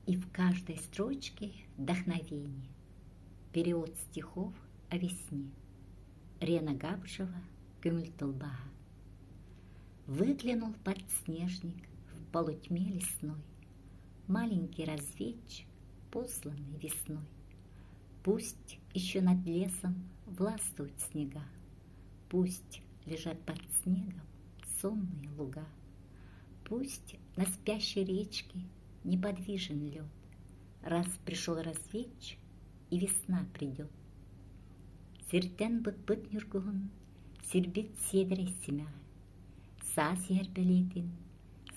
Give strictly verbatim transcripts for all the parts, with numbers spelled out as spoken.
И в каждой строчке вдохновение. Перевод стихов о весне. Рена Габышева, Көҥүл тылбааһа. Выглянул подснежник в полутьме лесной, Маленький разведчик, посланный весной. Пусть еще над лесом властвуют снега, Пусть лежат под снегом сонные луга, Пусть на спящей речке неподвижен лед, Раз пришел разведчик, и весна придет. Сиртэн быкпыт ньургуһун, сирбит сиэдэрэй симэҕэ, саас иһэр бэлиэтин,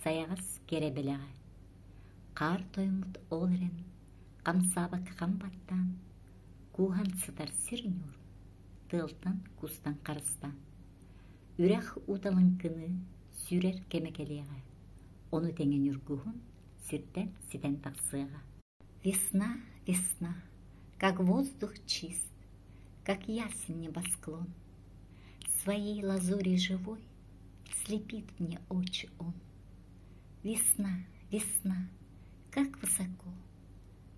сайаҕас кэрэ бэлэҕэ. Хаар тоймут ол эрэн, хамсаабакка хам баттаан, кууһан сытар сир ньуур, тыалтан кустан харыстаан. Үрэх ууталыҥкыны сүүрэр кэмэ кэлиэҕэ, ону тэҥэ ньургуһун сиртэн ситэн тахсыаҕа. Весна, весна, как воздух чист, как ясен небосклон. Своей лазури живой слепит мне очи он. Весна, весна, как высоко,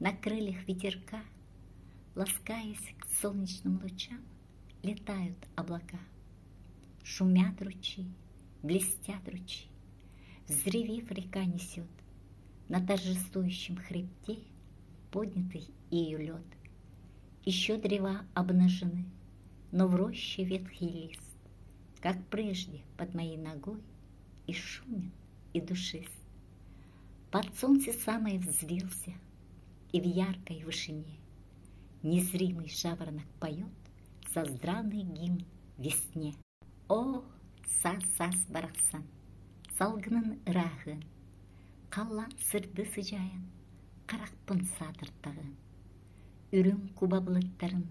на крыльях ветерка, ласкаясь к солнечным лучам, летают облака. Шумят ручьи, блестят ручьи, взревев, река несет на торжествующем хребте поднятый ею лед. Еще древа обнажены, но в роще ветхий лист, как прежде под моей ногой, и шумен, и душист. Под солнце самое взвился, и в яркой вышине незримый жаворонок поет создравный гимн весне. О, саас-саас барахсан, салгынын ырааһын, халлаан сырдыы сыдьаайан, харахпын саатыртаҕын. Үрүҥ куба былыттарын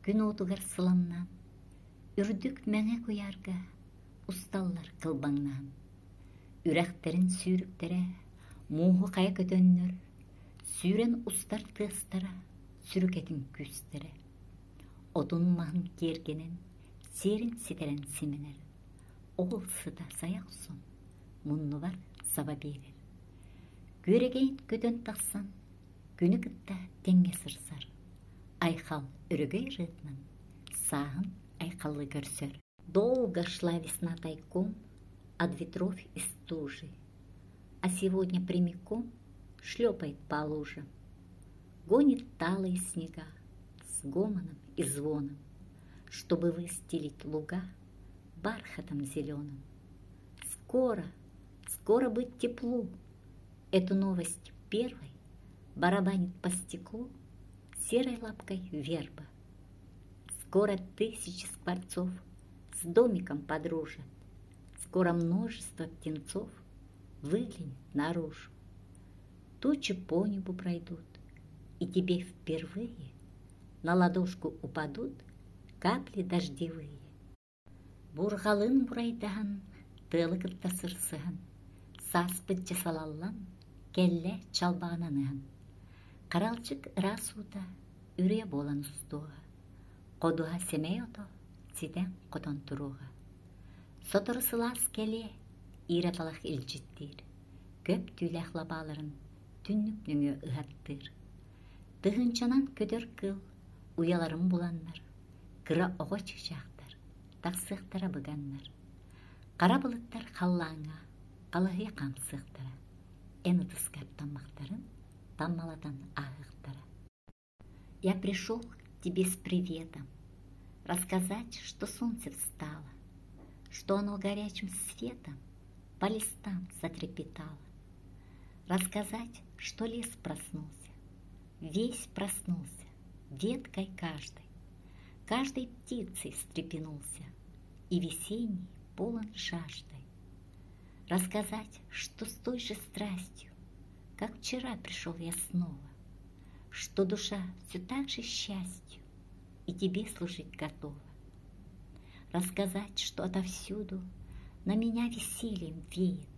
күн уотугар сыламнаан, үрдүк мэҥэ куйаарга усталлар кылбаҥнаан. Үрэхтэрин сүүрүктэрэ мууһу хайа көтөннөр, сүүрэн устар тыастара, сүрүкэтин күүстэрэ. Отун маһын киэргэнэн, сиэрин ситэрэн симэнэр. Ол сыта сайа охсон, муннубар саба биэрэр. Күөрэгэйин көтөн тахсан, күнү кытта тэҥҥэ сырсар. Айхал өрөгөй ырыатынан сааһын айхаллыы көрсөр. Долго шла весна тайком от ветров и стужи, а сегодня прямиком шлепает по лужам. Гонит талые снега с гомоном и звоном, чтобы выстелить луга бархатом зеленым. Скоро, скоро быть теплу. Эту новость первой барабанит по стеклу серой лапкой верба. Скоро тысячи скворцов с домиком подружат, скоро множество птенцов выглянет наружу. Тучи по небу пройдут, и тебе впервые на ладошку упадут капли дождевые. Буурҕалыын бурайдаһан, тыалы кытта сырсыһан, сааспыт дьэ салаллан, кэллэ чалбаҕынан ыһан. Харалдьык ыраас уута үрүйэ буолан устуоҕа, ходуһа сэмэй ото ситэн хотон туруоҕа. Сотору сылаас кэлиэ, иирэ талах илдьиттиир, көп түүлээх лабааларын түннүк нөҥүө ыһаттыыр. Тыһыынчанан көтөр кыыл уйаларын буланнар, кыра оҕо чыычаахтар тахсыахтара быганнар. Хара былыттар халлааҥҥа халыһыйа хаамсыахтара, эн ытыскар таммахтарын таммалатан ааһыахтара. Я пришел к тебе с приветом, рассказать, что солнце встало, что оно горячим светом по листам затрепетало. Рассказать, что лес проснулся, весь проснулся, веткой каждой, каждой птицей встрепенулся и весенний полон жаждой. Рассказать, что с той же страстью, как вчера пришел я снова, что душа все так же счастью и тебе служить готова. Рассказать, что отовсюду на меня весельем веет,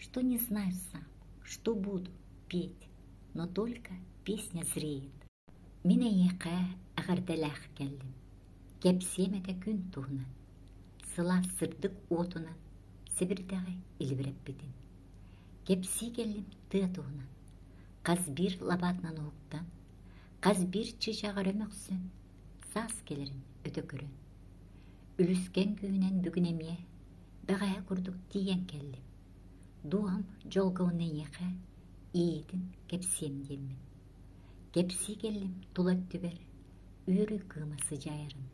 что не знаю сам, что буду петь, но только песня зреет. Мин эйиэхэ эҕэрдэлээх кэллим, кэпсиэм этэ күн туһунан, сылаас сырдык уотунан сэбирдэҕи илибирэппитин. Кэпсии кэллим тыа туһунан, Хас биир лабаатынан уһуктан, хас биир чыычааҕар мөхсөн, саас кэлэрин өтө көрөн. Үлүскэн күүһүнэн бүгүн эмиэ бэҕэһээ курдук тиийэн кэллим. Дууһам дьолго уонна эйиэхэ иэйиитин кэпсиэм диэммин. Кэпсии кэллим тула өттүбэр үөрүү кыыма сыдьаайарын.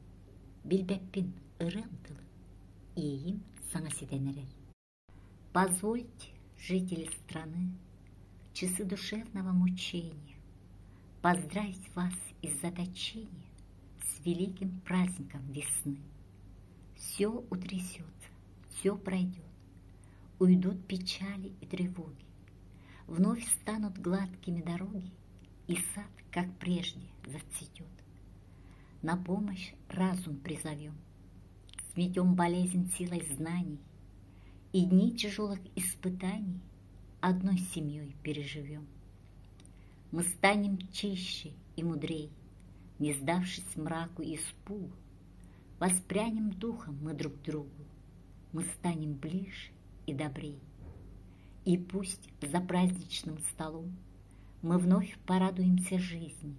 Билбэппин ырыам тылын, иэйиим саҥа ситэн эрэр. Позвольте, жители страны, в часы душевного мучения поздравить вас из заточения с великим праздником весны. Все утрясется, все пройдет, уйдут печали и тревоги, вновь станут гладкими дороги, и сад, как прежде, зацветет. На помощь разум призовем, сметем болезнь силой знаний, и дни тяжелых испытаний одной семьей переживем. Мы станем чище и мудрей, не сдавшись мраку и испугу, воспрянем духом мы друг другу, мы станем ближе и добрей. И пусть за праздничным столом мы вновь порадуемся жизни,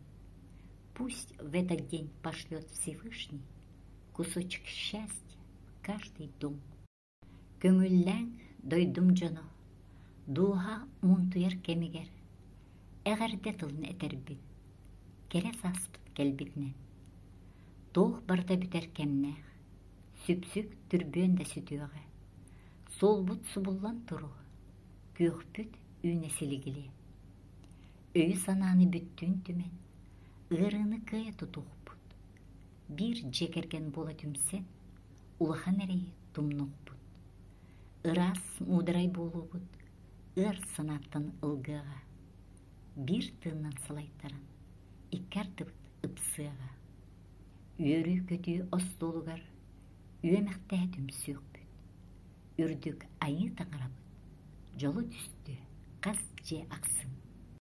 пусть в этот день пошлет Всевышний кусочек счастья в каждый дом. Көҥүллээҥ дойдум дьоно, дууһа муунтуйар кэмигэр, эҕэрдэ тылын этэрбин, кэрэ сааспыт кэлбитинэн. Туох барыта бүтэр кэмнээх, сүпсүк түрбүөн да сүтүөҕэ, суолбут субуллан туруо, күөхпүт үүнэ силигилиэ. Өйү-санааны бүттүүн түмэн, ыарыыны кыайа тутуохпут, биир дьиэ кэргэн буола түмсэн, улахан эрэйи тумнуохпут. Ыраас муударай буолуубут, ыар санааттан ылгыаҕа, биир тыынынан салайтаран, икки ардыбыт ыпсыаҕа. Үөрүү-көтүү остуолугар үөмэхтэһэ түмсүөхпүт, үрдүк айыы таҥарабыт, дьолу түстүө хас дьиэ ахсын.